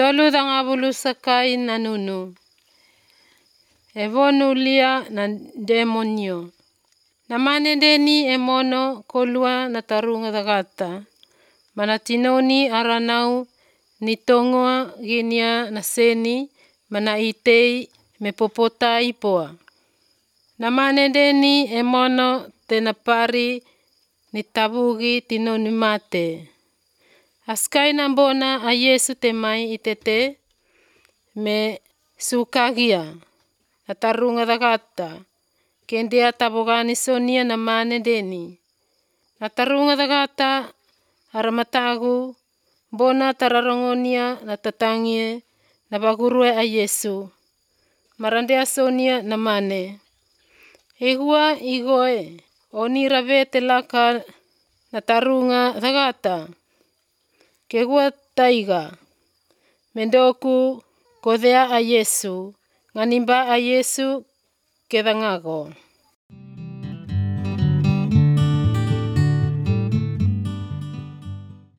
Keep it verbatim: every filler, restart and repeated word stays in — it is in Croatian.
tolu danga bulu sakai nanunu. Evonulia na demonio. Namane deni emono kolua na tarunga dagata. Manatinoni aranau ni tongoa ginia na seni mana itei me popota ipoa. Namane deni emono tenapari ni tabugi tinoni mate. Askai nambona a Yesu temai itete me sukagia. Natarunga dagata. Kendia tabogani sonia namane deni. Natarunga dagata aramatagu bona tararongonia natatangie nabagurue a Yesu. Marandea sonia namane. Igua igoe onirave telaka natarunga dagata. Kegua taiga. Mendoku kodea a Yesu. Nganimba a Yesu kedangago.